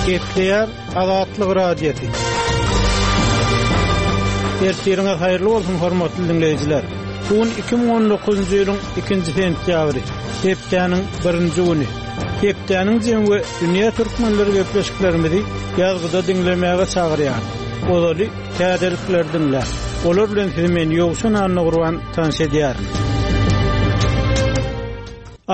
Gepleýär Azatlyk Radiosy. Ertiriňiz haýyrly bolsun, hormatly diňleýjiler. Bu gün 2019-njy ýylyň 2-nji sentýabry, hepdäniň birinji güni. Hepdäniň jemi we dünýä türkmenleri gepleşiklerimizi ýazgyda diňlemäge çagyrýar. Ozaly täzelikleri diňläň. Olar bilen sizi men Ýowşan Annagurban tanyş edýärin.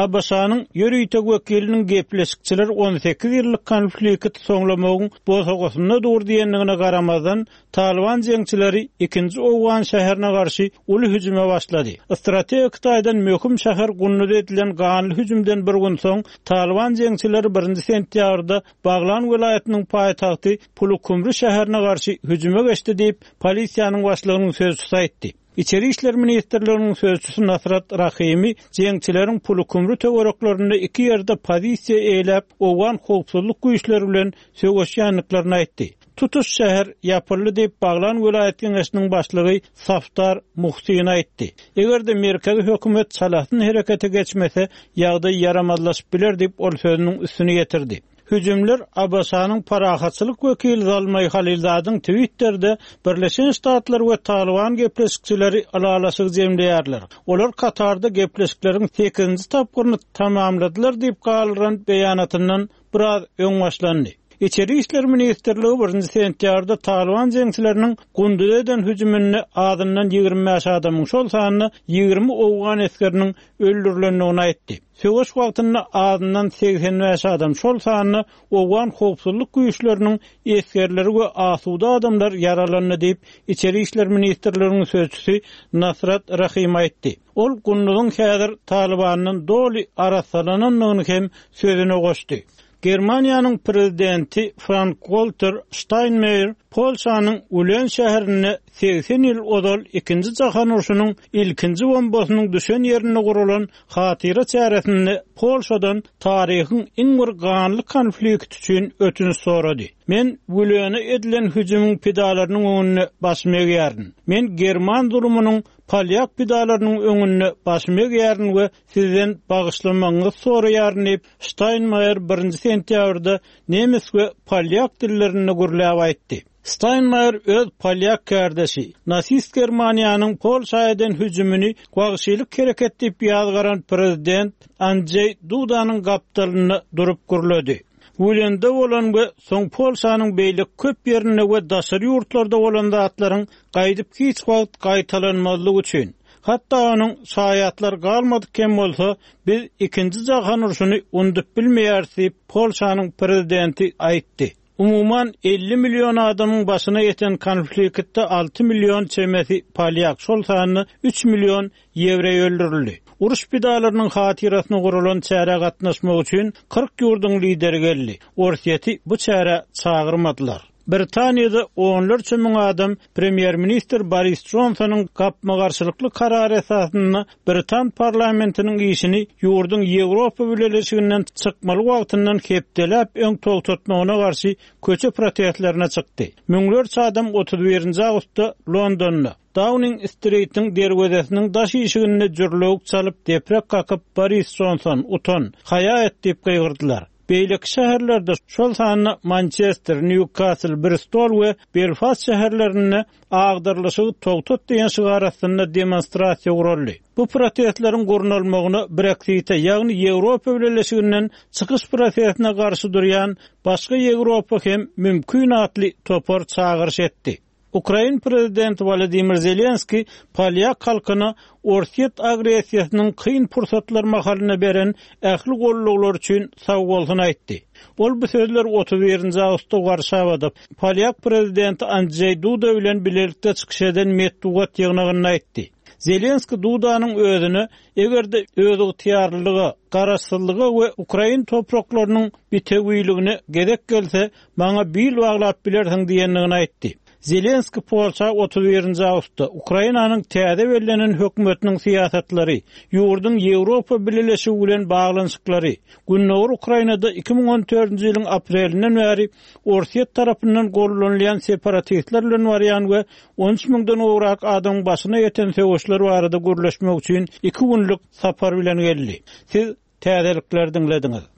ABŞ-nyň ýörite wekiliniň gepleşikçiler 18 ýyllyk konflikti soňlamagyň bosagasynda dur diýendigine garamazdan, Talyban jeňçileri ikinji owgan şäherine garşy uly hüjüme başlady. Strategik taýdan möhüm şäher Gunduz edilen ganly hüjümden bir gün soň, Talyban jeňçileri birinji sentýabrda Baglan welaýatynyň paýtagty Pulukumry şäherine garşy hüjüme geçdi diýip, polisiýanyň başlygynyň sözçüsi aýtdy. Içeri işler ministrliginiň sözçüsi Nasrat Rahimi jeňçileriň Pulukumry töwereklerinde iki ýerde pozisiýa eýläp, owgan howpsuzlyk güýçleri bilen söweşýändiklerini aýtdy. Tutuş şäher ýapyldy diýip, Baglan welaýat geňeşiniň başlygy Safdar Muhsin aýtdy. Eger-de merkezi hökümet çalasyn herekete geçmese, ýagdaý ýaramazlaşyp biler diýip, ol sözüniň üstüni ýetirdi. Hüjümler ABŞ-nyň parahatçylyk wekili Zalmaý Halilzadyň Twitterde Birleşen Ştatlar we Talyban gepleşikçileri ylalaşygy jemleýärler. Olar Katarda gepleşikleriň sekizinji tapgyryny tamamladylar diýip galdyran beýanatyndan biraz öň başlandy. Içeri işler ministrligi birinji sentýabrda Talyban jeňçileriniň Gunduza eden hüjüminde azyndan 25 adamyň, şol sanda 20 owgan esgeriniň öldürilendigini aýtdy. Söweş wagtynda azyndan 85 adam, şol sanda owgan howpsuzlyk güýçleriniň esgerleri we asuda adamlar ýaralandy diýip, Içeri işler ministrliginiň sözçüsi Nasrat Rahim aýtdy. Ol Gunduzyň häzir Talybandan doly arassalanandygyny hem sözüne goşdy. Germaniýanyň prezidenti Frank-Walter Ştaýnmeýer Polşanyň Ulen şäherinde 80 ýyl ozal Ikinji jahan urşunyň ilkinji bombasynyň düşen ýerinde guralan hatyra çäresinde Polşadan taryhyň iň bir ganly konflikti üçin ötünç sorady. Men Wülene edilen hüjümiň pidalarynyň öňünde başymy egýärin. Men german zulumynyň polýak pidalarynyň öňünde başymy egýärin we sizden bagyşlamagyňyzy soraýaryn diýip, Ştaýnmaýer birinji sentýabrda nemes we polýak dillerinde gürläp aýtdy. Ştaýnmaýer öz polýak kärdeşi, nasist Germaniýanyň Polşa eden hüjümini wagşylyk hereket diýip ýazgaran prezident Andžeý Dudanyň gapdalynda durup gürledi. Wülende bolan we soň Polşanyň beýleki köp ýerinde we daşary ýurtlarda bolan zatlaryň gaýdyp hiç wagt gaýtalanmazlygy üçin, hatda onuň şaýatlary galmadyk hem bolsa, biz Ikinji jahan urşuny undup bilmeýäris diýip, Polşanyň prezidenti aýtdy. Umuman, 50 million adamyň başyna ýeten konfliktde 6 million çemesi polýak, şol sanda 3 million ýewreý öldürildi. Uruş pidalarynyň hatyrasyna guralan çärä gatnaşmak üçin 40 ýurduň lideri geldi. Orsýeti bu çärä çagyrmadylar. Britaniýada onlarça müň adam premýer-ministr Boris Jonsonyň gapma-garşylykly karary esasynda britan parlamentiniň işini ýurduň Ýewropa Bileleşiginden çykmaly wagtyndan hepdeläp öň togtatmagyna garşy köçe protestlerine çykdy. Müňlerçe adam 31-nji awgustda Londonda, Dauning-stritiň derwezesiniň daş işiginde jürlewük çalyp, deprek kakyp, Boris Jonson, utan, haýa et diýip gygyrdylar. Beýleki şäherlerde, şol sanda Mançester, Nýukasl, Bristol we Belfast şäherlerinde Agdarylyşygy togtat diýen şygar astynda demonstrasiýa guraldy. Bu protestleriň gurnalmagyna Breksite, ýagny Ýewropa Bileleşiginden çykyş prosesine garşy durýan Başga Ýewropa hem mümkin atly topar çagyryş etdi. Ukrain prezidenti Wolodymyr Zelenskiý polýak halkyna Orsýet agressiýasynyň kyn pursatlar mahalynda beren ähli gollawlary üçin sagbolsun aýtdy. Ol bu sözleri 31-nji awgustda Warşawada polýak prezidenti Andžeý Duda bilen bilelikde çykyş eden metbugat ýygnagynda aýtdy. Zelenskiý Dudanyň özüne eger-de özygtyýarlylyga, garaşsyzlyga we ukrain topraklarynyň bitewiligine gezek gelse, Maňa bil baglap bilersiň diýendigini aýtdy. Zelenskiý Polşa 31-nji awgustda Ukrainanyň täze bellenen hökümetiniň syýasatlary, ýurduň Ýewropa Bileleşigi bilen baglanyşyklary, gündogar Ukrainada 2014-nji ýylyň aprelinden bäri Orsýet tarapyndan gollanylýan separatistler bilen barýan we 13 müňden gowrak adamyň başyna ýeten söweşler barada gürleşmek üçin iki günlük sapar bilen geldi. Siz täzelikleri diňlediňiz.